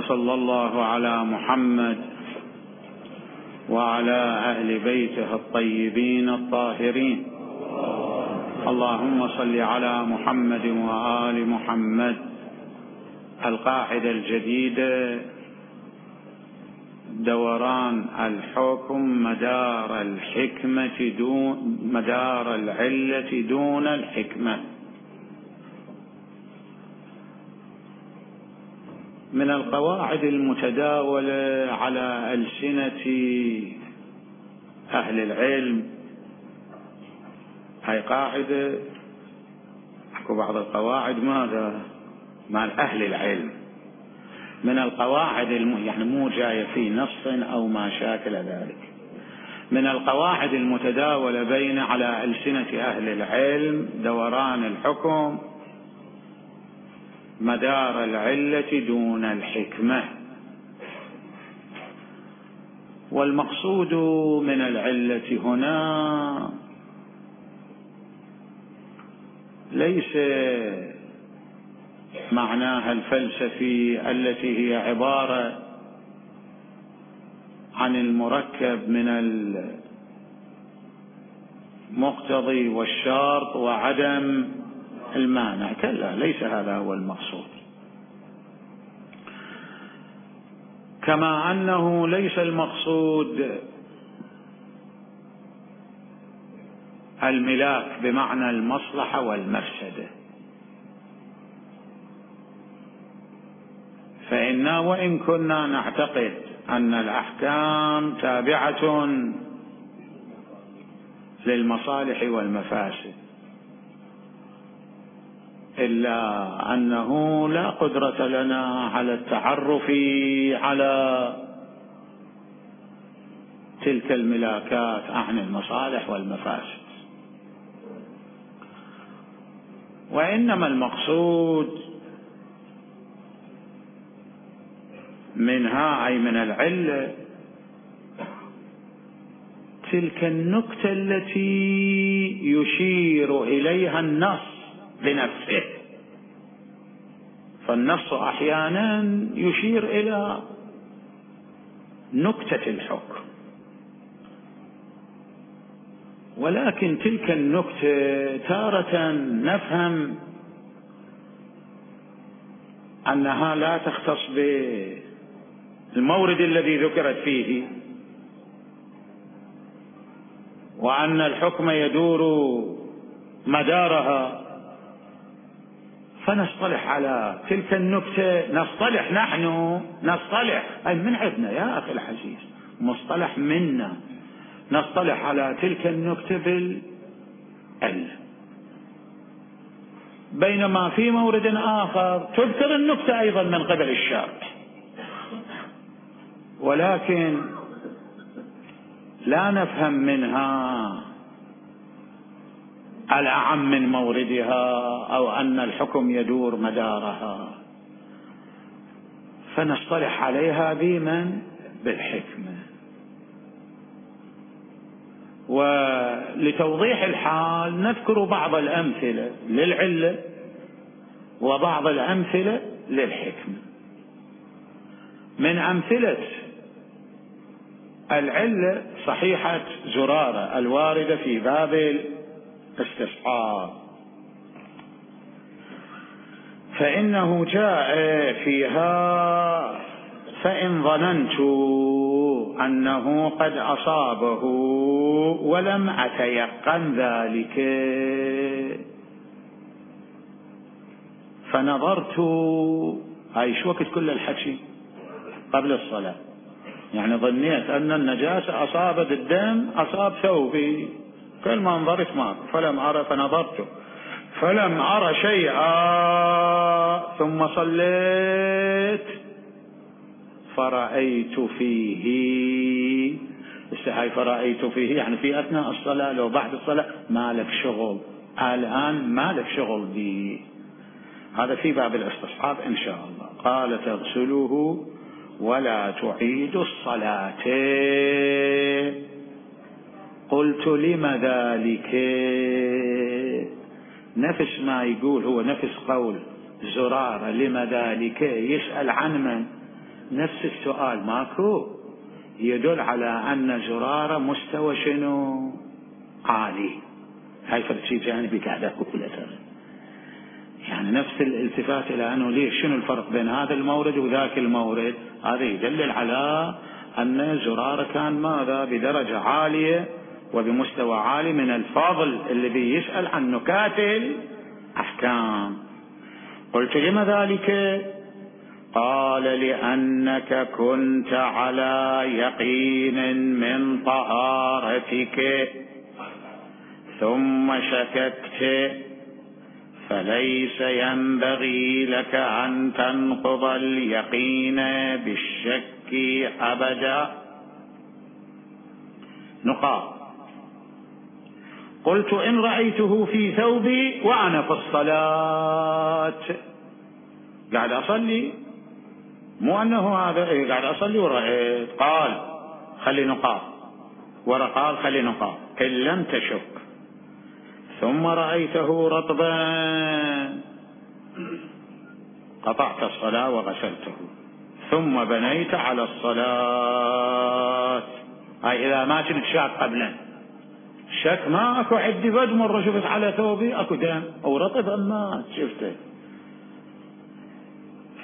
وصلى الله على محمد وعلى أهل بيته الطيبين الطاهرين. اللهم صل على محمد وآل محمد. القاعدة الجديدة: دوران الحكم مدار العلة دون الحكمة. من القواعد المتداولة على ألسنة أهل العلم، هاي قاعدة أحكو بعض القواعد ماذا مع أهل العلم، من القواعد يعني مو جاية في نص أو ما شاكل ذلك، من القواعد المتداولة على ألسنة أهل العلم: دوران الحكم مدار العلة دون الحكمة. والمقصود من العلة هنا ليس معناها الفلسفي التي هي عبارة عن المركب من المقتضي والشرط وعدم المانع، كلا، ليس هذا هو المقصود. كما أنه ليس المقصود الملاك بمعنى المصلحة والمفسدة، فإنا وإن كنا نعتقد أن الأحكام تابعة للمصالح والمفاسد، إلا أنه لا قدرة لنا على التعرف على تلك الملاكات عن المصالح والمفاسد، وإنما المقصود منها أي من العلة تلك النكتة التي يشير إليها النص بنفسه. فالنص أحيانا يشير إلى نكتة الحكم، ولكن تلك النكتة تارة نفهم أنها لا تختص بالمورد الذي ذكرت فيه، وأن الحكم يدور مدارها، فنصطلح على تلك النكتة. نصطلح نحن، نصطلح أي من عندنا يا أخي العزيز، مصطلح منا، نصطلح على تلك النكتة بالعلة، بينما في مورد آخر تذكر النكتة أيضا من قبل الشارع، ولكن لا نفهم منها الأعم من موردها أو أن الحكم يدور مدارها، فنصطلح عليها بالحكمة. ولتوضيح الحال نذكر بعض الأمثلة للعلة وبعض الأمثلة للحكمة. من أمثلة العلة صحيحة زرارة الواردة في باب الاستصحاب، فإنه جاء فيها: فإن ظننت أنه قد أصابه ولم أتيقن ذلك فنظرت. هاي شو وقت كل الحكي قبل الصلاة، يعني ظنيت أن النجاسة أصابت الدم، أصاب ثوبي، كل ما انظرت ماك فلم أرى، فنظرت فلم أرى شيئا، ثم صليت فرأيت فيه. هاي فرأيت فيه يعني في أثناء الصلاة، لو بعد الصلاة ما لك شغل، الآن ما لك شغل به. هذا في باب الاستصحاب إن شاء الله. قال: تغسله ولا تعيد الصلاة. قلت: لم ذلك؟ نفس ما يقول هو، نفس قول زرارة، لم ذلك؟ يسأل عن من؟ نفس السؤال ماكو يدل على أن زرارة مستوى شنو عالي. هاي فرد شيء جانبي قاعد أقوله ترى، يعني نفس الالتفات إلى أنه ليش شنو الفرق بين هذا المورد وذاك المورد، هذا يدلل على أن زرارة كان ماذا بدرجة عالية وبمستوى عالي من الفضل اللي بيسأل عن نكات الأحكام. قلت لما ذلك؟ قال لأنك كنت على يقين من طهارتك ثم شككت، فليس ينبغي لك أن تنقض اليقين بالشك أبدا. نقاط. قلت إن رأيته في ثوبي وأنا في الصلاة، قاعد أصلي، مو أنه هذا قاعد أصلي ورأيت، قال خلي نقاط، ورا قال خلي نقاط، إن لم تشك ثم رأيته رطبا قطعت الصلاة وغسلته ثم بنيت على الصلاة. هاي إذا ما كنت شاك قبلا، شك ما أكو عندي، بد مرة شفت على ثوبي أكو دم أو رطب أما شفته،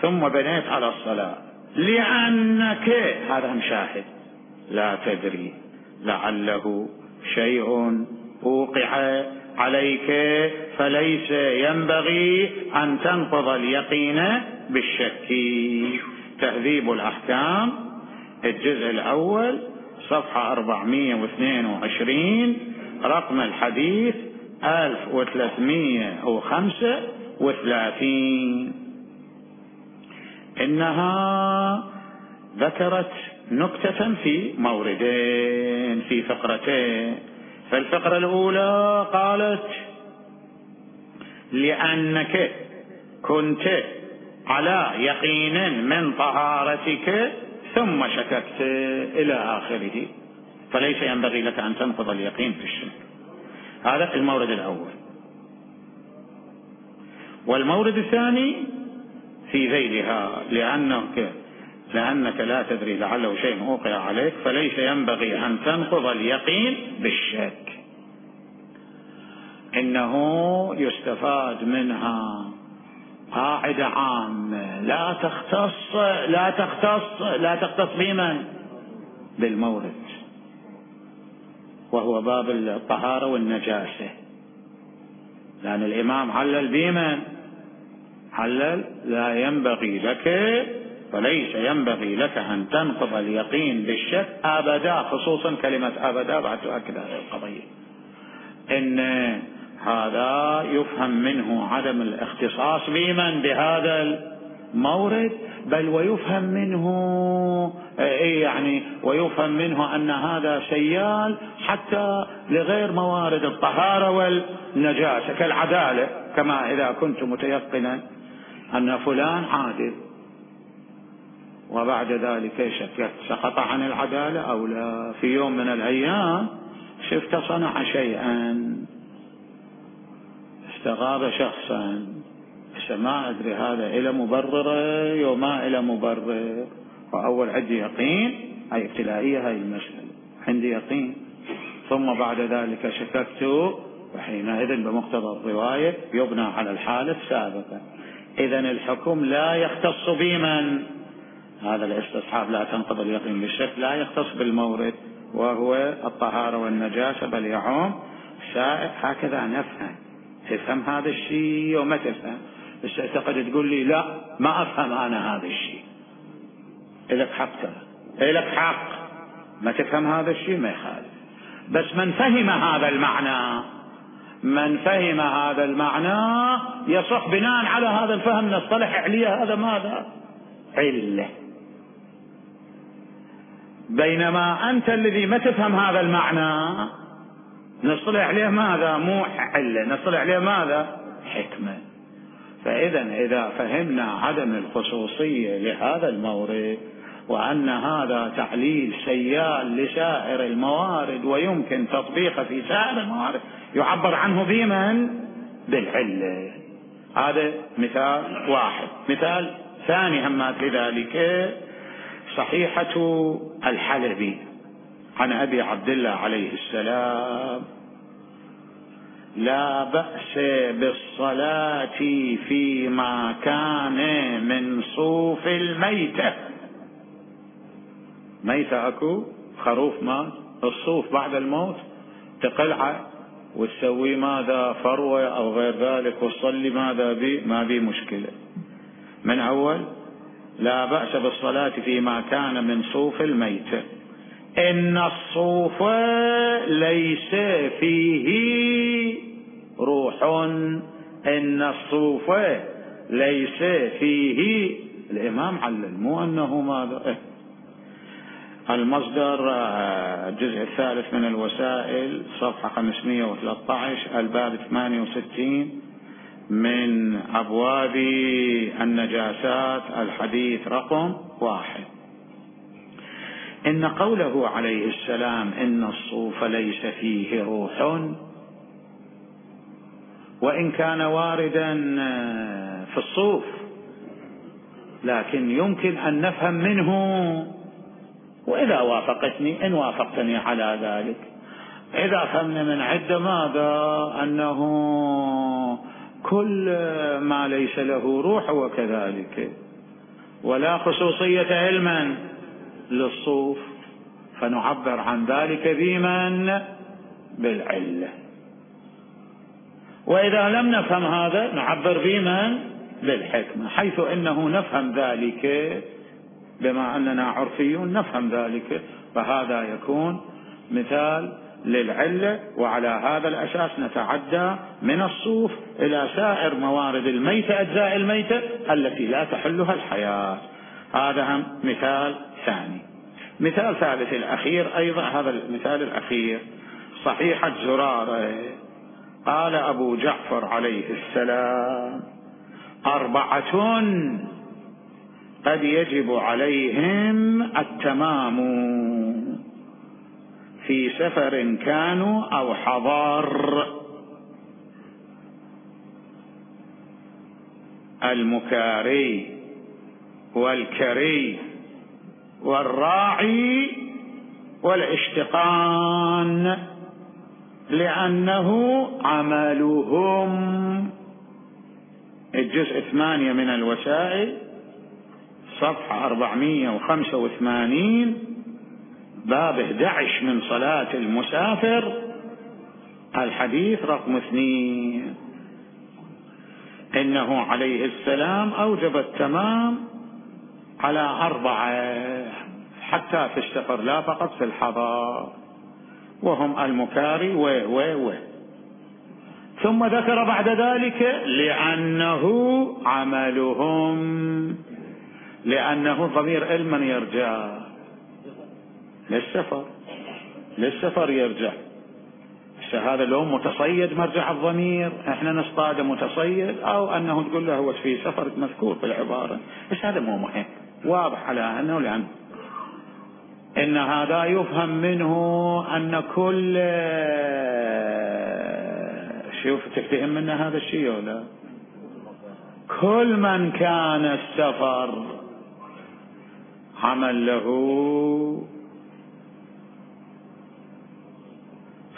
ثم بنيت على الصلاة لأنك، هذا مشاهد، لا تدري لعله شيء وقع عليك فليس ينبغي أن تنقض اليقين بالشك. تهذيب الأحكام الجزء الأول صفحة 422 رقم الحديث 1335. إنها ذكرت نكتة في موردين في فقرتين. فالفقرة الأولى قالت لأنك كنت على يقين من طهارتك ثم شككت إلى آخره، فليس ينبغي لك أن تنقض اليقين في الشك. هذا المورد الأول. والمورد الثاني في ذيلها لأنك لا تدري لعله شيء وقع عليك فليس ينبغي أن تنقض اليقين بالشك. إنه يستفاد منها قاعدة عامة لا تختص بمن؟ بالمورد، وهو باب الطهارة والنجاسة. لأن الإمام علل بمن؟ علل لا ينبغي لك، فليس ينبغي لك أن تنقض اليقين بالشك أبدا، خصوصا كلمة أبدا بعد تؤكد هذه القضية. إن هذا يفهم منه عدم الاختصاص بمن؟ بهذا المورد، بل ويفهم منه أن هذا سيال حتى لغير موارد الطهارة والنجاسة كالعدالة، كما إذا كنت متيقنا أن فلان عادل وبعد ذلك شككت سقط عن العدالة أو لا، في يوم من الأيام شفت صنع شيئا، استغاب شخصا، ما أدري هذا إلى مبرر وما إلى مبرر، وأول عندي يقين، هاي ابتلائية هاي المسألة، عندي يقين، ثم بعد ذلك شككت، وحينئذ بمقتضى الرواية يبنى على الحالة السابقة. إذن الحكم لا يختص بمن؟ هذا الاستصحاب لا تنقض اليقين بالشك لا يختص بالمورد وهو الطهارة والنجاسة، بل يعم سائر. هكذا نفهم، تفهم هذا الشيء وما تفهم، بس اعتقد تقول لي لا ما أفهم أنا هذا الشيء، إلك حق، إلك حق ما تفهم هذا الشيء ما يخالف. بس من فهم هذا المعنى يصح بناء على هذا الفهم نصطلح عليه هذا ماذا؟ علة. بينما أنت الذي ما تفهم هذا المعنى نصطلح عليه ماذا؟ مو علة، نصطلح عليه ماذا؟ حكمة. إذا فهمنا عدم الخصوصية لهذا المورد وأن هذا تعليل سيال لسائر الموارد ويمكن تطبيقه في سائر الموارد يعبر عنه بمن؟ بالعلة. هذا مثال واحد. مثال ثاني همات لذلك صحيحة الحلبي عن أبي عبد الله عليه السلام: لا بأس بالصلاة فيما كان من صوف الميتة. ميتة أكو خروف مات، الصوف بعد الموت تقلعه وتسوي ماذا فروة أو غير ذلك وتصلي ماذا بي، ما بي مشكلة. من أول لا بأس بالصلاة فيما كان من صوف الميتة، إن الصوف ليس فيه روح، إن الصوف ليس فيه. الإمام علل، مو أنه ماذا. المصدر الجزء الثالث من الوسائل صفحة 513 الباب 68 من أبواب النجاسات الحديث رقم 1. إن قوله عليه السلام إن الصوف ليس فيه روح، وإن كان واردا في الصوف، لكن يمكن أن نفهم منه، وإذا وافقتني إن وافقتني على ذلك، إذا فهمنا من عدة ماذا أنه كل ما ليس له روح وكذلك، ولا خصوصية علما للصوف، فنعبر عن ذلك بمن بالعلة. وإذا لم نفهم هذا نعبر بمن بالحكمة، حيث إنه نفهم ذلك بما أننا عرفيون نفهم ذلك، فهذا يكون مثال للعلة. وعلى هذا الأساس نتعدى من الصوف إلى سائر موارد الميتة، أجزاء الميتة التي لا تحلها الحياة. هذا هم مثال ثاني. مثال ثالث الأخير أيضا، هذا المثال الأخير صحيحة زرارة. قال أبو جعفر عليه السلام: 4 قد يجب عليهم التمام في سفر كانوا أو حضار: المكاري والكري والراعي والاشتقان، لأنه عملهم. الجزء 8 من الوسائل صفحة 485 باب 11 من صلاة المسافر الحديث رقم 2. إنه عليه السلام أوجب التمام على 4 حتى في السفر لا فقط في الحضار، وهم المكاري و ثم ذكر بعد ذلك لأنه عملهم، لأنه ضمير من يرجع للسفر يرجع. هذا لو متصيد مرجع الضمير، احنا نصطاد متصيد، او انه تقول له هو في سفر مذكور في العبارة، بس هذا مو مهم، واضح على انه لأن إن هذا يفهم منه أن كل شوف تفتهم منا هذا الشيء ولا كل من كان السفر عمل له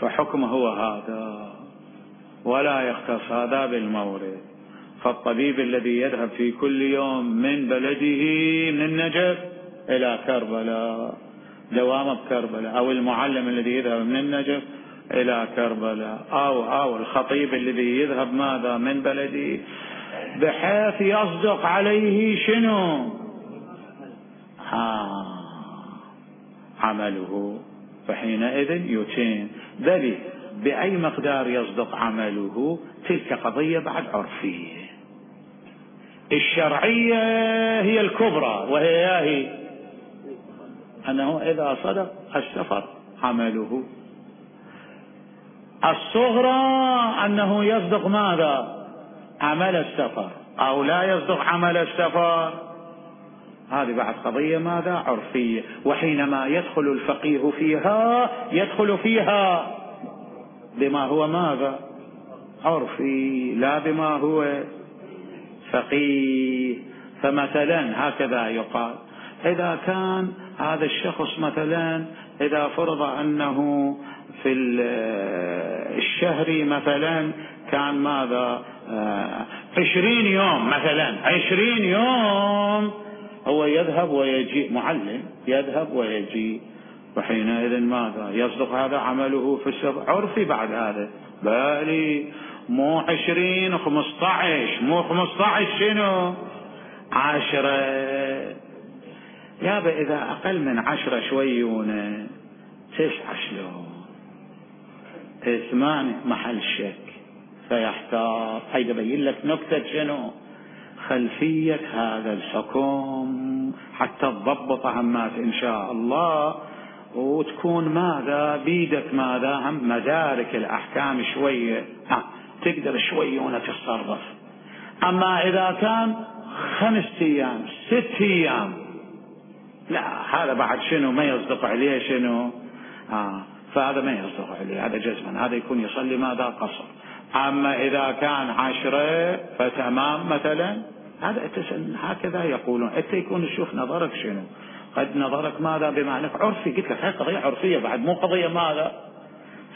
فحكمه هو هذا، ولا يختص هذا بالمورد. فالطبيب الذي يذهب في كل يوم من بلده من النجف إلى كربلاء دوامه بكربلاء، أو المعلم الذي يذهب من النجف إلى كربلاء، أو الخطيب الذي يذهب ماذا من بلده، بحيث يصدق عليه شنو عمله، فحينئذ يتم. بل بأي مقدار يصدق عمله تلك قضية بعد عرفية. الشرعية هي الكبرى، وهي أنه إذا صدق السفر عمله. الصغرى أنه يصدق ماذا عمل السفر أو لا يصدق عمل السفر، هذه بعد قضية ماذا عرفية. وحينما يدخل الفقيه فيها يدخل فيها بما هو ماذا عرفي، لا بما هو فقيه. فمثلا هكذا يقال: إذا كان هذا الشخص مثلا إذا فرض أنه في الشهر مثلا كان ماذا 20 يوم مثلا 20 يوم هو يذهب ويجي معلم يذهب ويجي، وحينئذ ماذا يصدق هذا عمله في السبع عرفي بعد هذا، بالي مو 20 15 مو 15 شنو 10 يابا إذا أقل من 10 شويونه 9 شلون 8 محل شك فيحتار. هيدا بين لك نكتة شنو خلفية هذا الحكم حتى تضبط عمات إن شاء الله، وتكون ماذا بيدك ماذا هم مدارك الأحكام شوية تقدر شوية تتصرف. أما إذا كان 5 أيام 6 أيام لا هذا بعد شنو ما يصدق عليه شنو فهذا ما يصدق عليه، هذا جزما هذا يكون يصلي ماذا قصر. أما إذا كان 10 فتمام مثلا هذا هكذا يقولون. أنت يكون تشوف نظرك شنو، قد نظرك ماذا بما أنك عرفي، قلت لك هاي قضية عرفية بعد مو قضية ماذا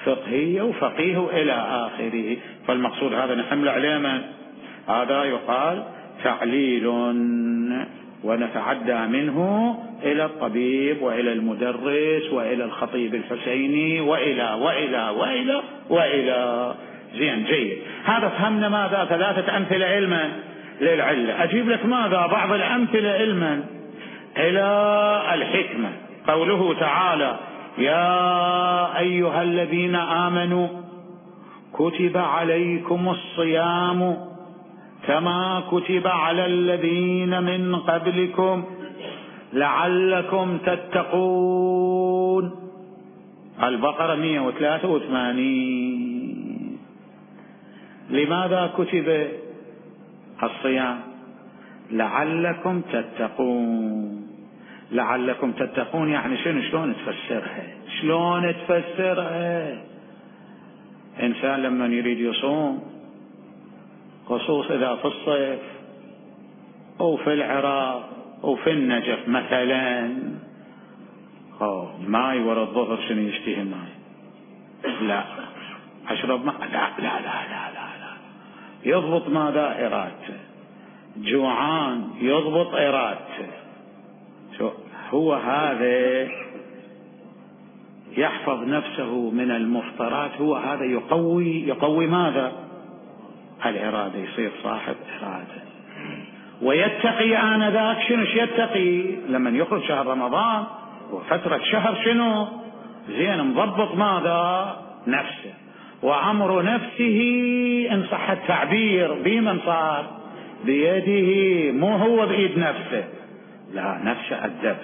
فقهية وفقيه إلى آخره. فالمقصود هذا نحمل عليه من هذا يقال تعليل، ونتعدى منه إلى الطبيب وإلى المدرس وإلى الخطيب الحسيني وإلى وإلى وإلى وإلى. زين جيد، هذا فهمنا ماذا 3 أمثلة علما للعلة. أجيب لك ماذا بعض الأمثلة علما إلى الحكمة. قوله تعالى يا أيها الذين آمنوا كتب عليكم الصيام كما كتب على الذين من قبلكم لعلكم تتقون. البقرة 183. لماذا كتب الصيام؟ لعلكم تتقون. لعلكم تتقون يعني شنو؟ شلون تفسرها؟ شلون تفسرها؟ إنسان لما يريد يصوم خصوص إذا في الصيف أو في العراق أو في النجف مثلا ماي ورا الظهر شنو يشتهي ماي لا أشرب ماء لا لا لا لا لا لا يضبط ماذا إرادته، جوعان يضبط إرادته. هو هذا يحفظ نفسه من المفطرات، هو هذا يقوي ماذا الإرادة، يصير صاحب إرادة ويتقي آنذاك. شنو يتقي لما يخرج شهر رمضان وفترة شهر شنو زين مضبط ماذا نفسه، وأمر نفسه إن صح التعبير بمن صار بيده مو هو بإيد نفسه، لا نفسه أدب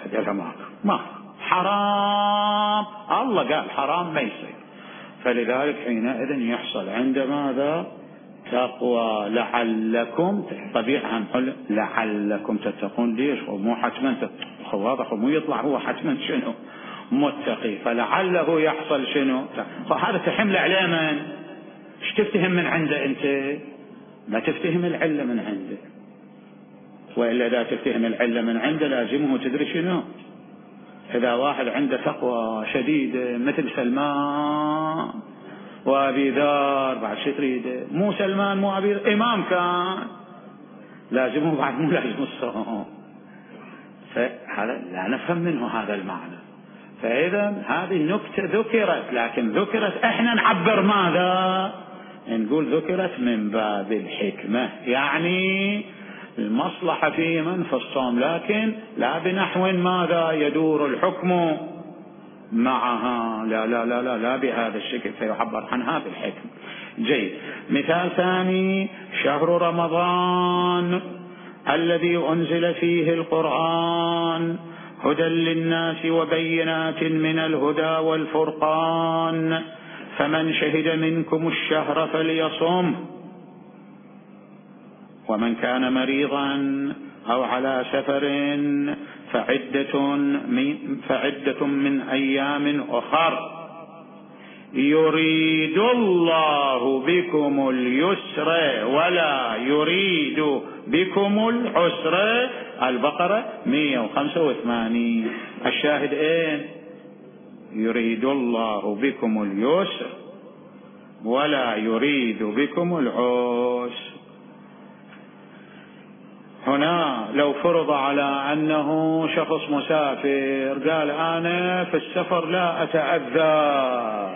ما حرام الله قال حرام ما يصير. فلذلك حينئذ يحصل عند ماذا تقوى. لعلكم طبيعة نقول لعلكم تتقون. ليش؟ ومو حتما واضح مو يطلع هو حتما شنو متقي، فلعله يحصل شنو. هذا تحمل عليه من ايش تفتهم من عنده انت؟ ما تفتهم العلة من عنده، وإلا إذا تفتهم العلة من عنده لازمه تدري شنو. إذا واحد عنده تقوى شديدة مثل سلمان وأبي ذر بعد شو تريده؟ مو سلمان مو أبي ذر إمام كان لازمه بعد مو لازم الصوم. فهذا لا نفهم منه هذا المعنى. فإذا هذه النكتة ذكرت، لكن ذكرت احنا نعبر ماذا نقول ذكرت من باب الحكمة، يعني المصلحة في من في الصوم، لكن لا بنحو ماذا يدور الحكم معها، لا لا لا لا, لا بهذا الشكل، فيعبر عنها بالحكم. جيد. مثال ثاني شهر رمضان الذي أنزل فيه القرآن هدى للناس وبينات من الهدى والفرقان فمن شهد منكم الشهر فليصم ومن كان مريضا أو على سفر فعدة من أيام أخر يريد الله بكم اليسر ولا يريد بكم العسر البقرة 185. الشاهد اين؟ يريد الله بكم اليسر ولا يريد بكم العسر. هنا لو فرض على أنه شخص مسافر قال أنا في السفر لا أتأذى،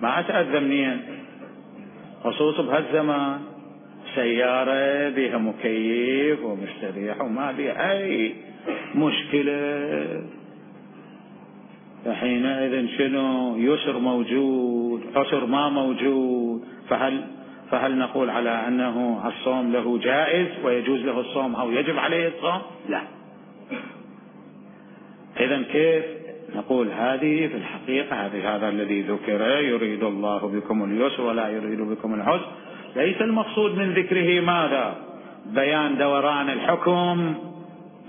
ما أتأذى منين؟ خصوصا بهالزمان سيارة بها مكيف ومستريح وما بها أي مشكلة، فحينئذ شنو؟ يسر موجود، عسر ما موجود. فهل نقول على أنه الصوم له جائز ويجوز له الصوم أو يجب عليه الصوم؟ لا. إذن كيف نقول هذه في الحقيقة هذا الذي ذكر يريد الله بكم اليسر ولا يريد بكم العسر، ليس المقصود من ذكره ماذا؟ بيان دوران الحكم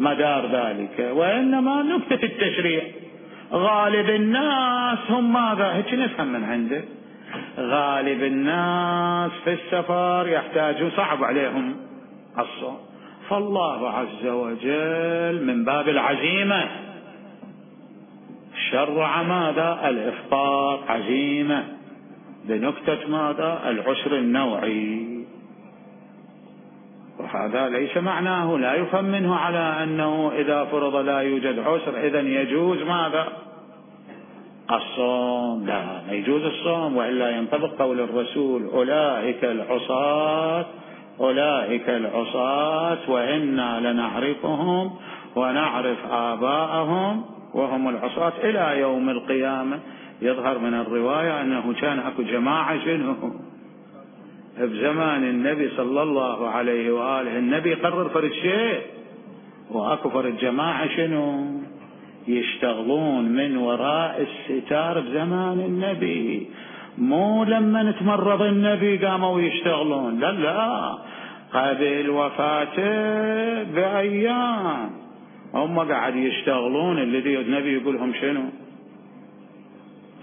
مدار ذلك، وإنما نكتة التشريع. غالب الناس هم ماذا؟ هيك نفهم من عنده، غالب الناس في السفر يحتاجون، صعب عليهم الصوم، فالله عز وجل من باب العزيمة شرع ماذا؟ الإفطار، عزيمة بنكتة ماذا؟ العسر النوعي. وهذا ليس معناه، لا يفهم منه على أنه إذا فرض لا يوجد عسر إذن يجوز ماذا؟ الصوم. لا، ما يجوز الصوم، وإلا ينطبق قول الرسول أولئك العصاة وإنا لنعرفهم ونعرف آباءهم وهم العصاة إلى يوم القيامة. يظهر من الرواية أنه كان أكو جماعة شنو بزمان النبي صلى الله عليه وآله، النبي قرر فرد شيء وأكو فرد جماعة شنو يشتغلون من وراء الستار بزمان النبي، مو لما نتمرض النبي قاموا يشتغلون، لا قبل وفاته بأيام هم قاعد يشتغلون. الذي النبي يقولهم شنو؟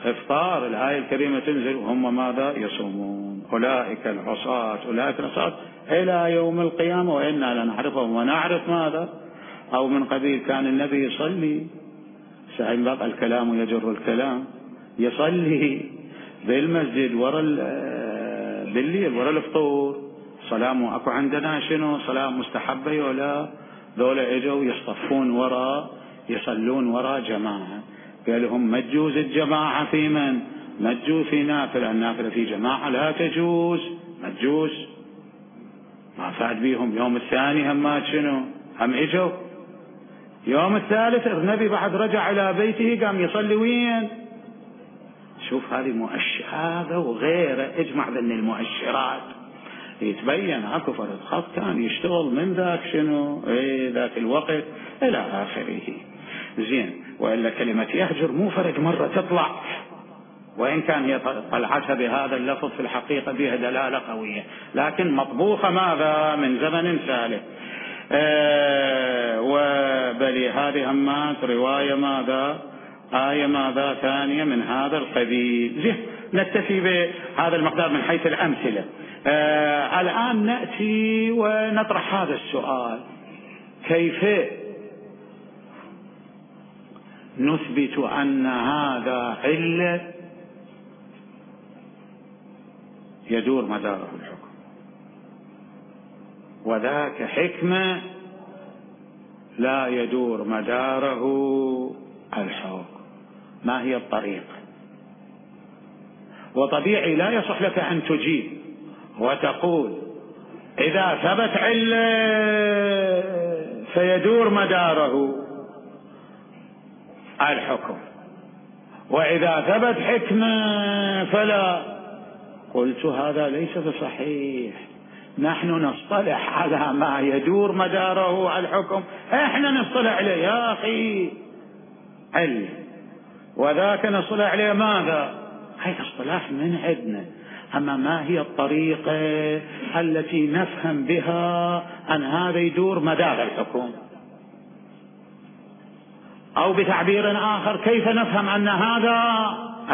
افطار. الآية الكريمة تنزل وهم ماذا؟ يصومون. أولئك العصاة إلى يوم القيامة وإنا لنعرفهم ونعرف ماذا؟ أو من قبيل كان النبي يصلي، ساعين بقى الكلام يجر الكلام، يصلي بالمسجد بالليل ورا الفطور. صلاة أكو عندنا شنو؟ صلاة مستحبة ولا؟ ذولا اجوا يصطفون ورا يصلون ورا جماعة. قال لهم ما تجوز الجماعة في من؟ ما تجوز في نافلة، النافلة في جماعة لا تجوز، ما تجوز. ما فاد بيهم. يوم الثاني هم شنو؟ هم اجوا. يوم الثالث النبي بعد رجع إلى بيته قام يصلي وين؟ شوف هذه مؤشر، هذا وغيره اجمع بين المؤشرات يتبين اكو فرد خط كان يشتغل من ذاك شنو ذاك الوقت الى اخره. زين، والا كلمة يهجر مو فرد مرة تطلع، وان كان هي طلعتها بهذا اللفظ في الحقيقة بها دلالة قوية، لكن مطبوخة ماذا؟ من زمن سالف. وبلي هذه همات رواية ماذا؟ آية ماذا؟ ثانية من هذا القبيل. زين، نكتفي بهذا المقدار من حيث الأمثلة. الآن نأتي ونطرح هذا السؤال: كيف نثبت أن هذا علة يدور مداره الحكم وذاك حكمة لا يدور مداره الحكم؟ ما هي الطريقة؟ وطبيعي لا يصح لك أن تجيب وتقول إذا ثبت علة فيدور مداره الحكم، وإذا ثبت حكمة فلا. قلت هذا ليس بصحيح. نحن نصطلح على ما يدور مداره الحكم، احنا نصطلح عليه يا أخي علة، وذاك نصطلح عليه ماذا؟ هي اصطلاح من عندنا. أما ما هي الطريقة التي نفهم بها أن هذا يدور مدار الحكم؟ أو بتعبير آخر كيف نفهم أن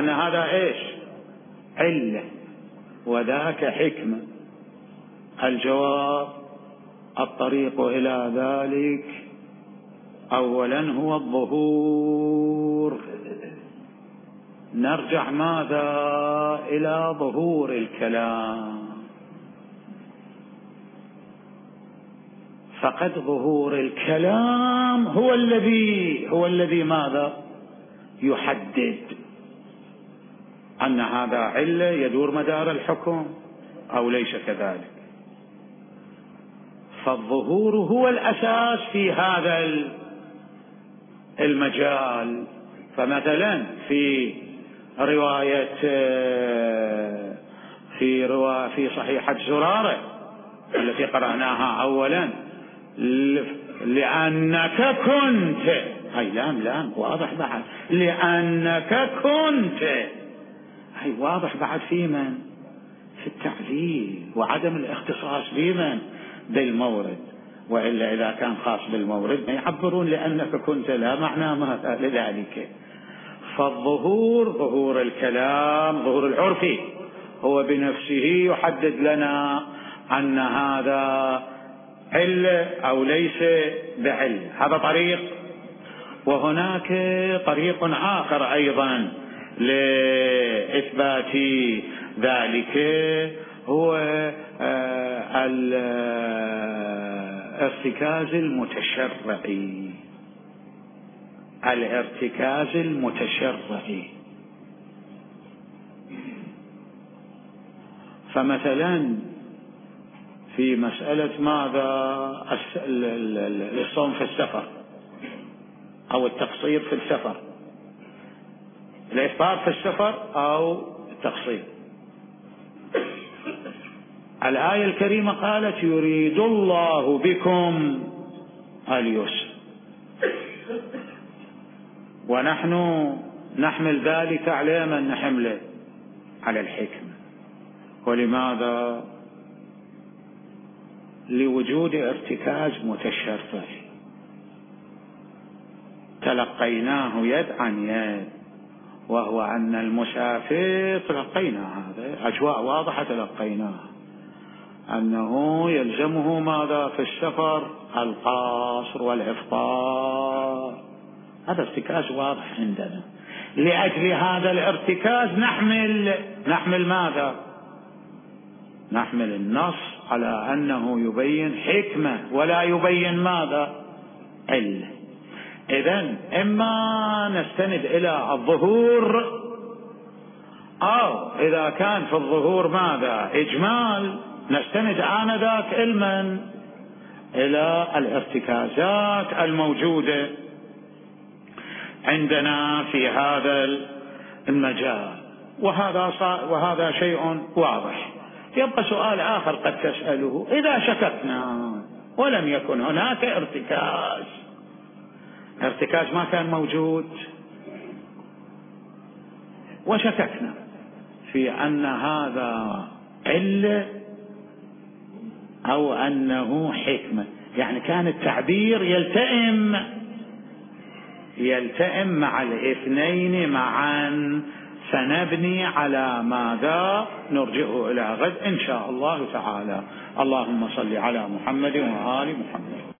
هذا إيش؟ علة وذاك حكمة. الجواب: الطريق إلى ذلك أولا هو الظهور. نرجع ماذا؟ إلى ظهور الكلام. فقد ظهور الكلام هو الذي ماذا؟ يحدد أن هذا علة يدور مدار الحكم أو ليس كذلك. فالظهور هو الأساس في هذا المجال. فمثلا في رواية في صحيحة زرارة التي قرأناها أولا، لأنك كنت، هاي لام واضح بعد، لأنك كنت، هاي واضح بعد في من؟ في التعليل وعدم الاختصاص بمن؟ بالمورد. وإلا إذا كان خاص بالمورد ما يعبرون لأنك كنت، لا معنى ماذا لذلك. فالظهور، ظهور الكلام، ظهور العرفي، هو بنفسه يحدد لنا أن هذا علة أو ليس بعلة. هذا طريق. وهناك طريق آخر أيضا لإثبات ذلك، هو الارتكاز المتشرعي. الارتكاز المتشرعي. فمثلا في مسألة ماذا؟ الصوم في السفر أو التقصير في السفر، الإفطار في السفر أو التقصير. الآية الكريمة قالت يريد الله بكم اليسر، ونحن نحمل ذلك على من نحمله؟ على الحكمة. ولماذا؟ لوجود ارتكاز متشرعي تلقيناه يد عن يد، وهو أن المسافر تلقينا هذا أجواء واضحة، تلقيناه أنه يلزمه ماذا في السفر؟ القصر والإفطار. هذا ارتكاز واضح عندنا. لأجل هذا الارتكاز نحمل ماذا؟ نحمل النص على أنه يبين حكمة ولا يبين ماذا؟ علة. إذن إما نستند إلى الظهور، أو إذا كان في الظهور ماذا؟ إجمال، نستند آنذاك إلى الارتكازات الموجودة عندنا في هذا المجال. وهذا شيء واضح. يبقى سؤال آخر قد تسأله: إذا شككنا ولم يكن هناك ارتكاز ما كان موجود، وشككنا في أن هذا علة أو أنه حكمة، يعني كان التعبير يلتئم مع الاثنين معا، سنبني على ماذا؟ نرجعه إلى غد إن شاء الله تعالى. اللهم صل على محمد وآل محمد.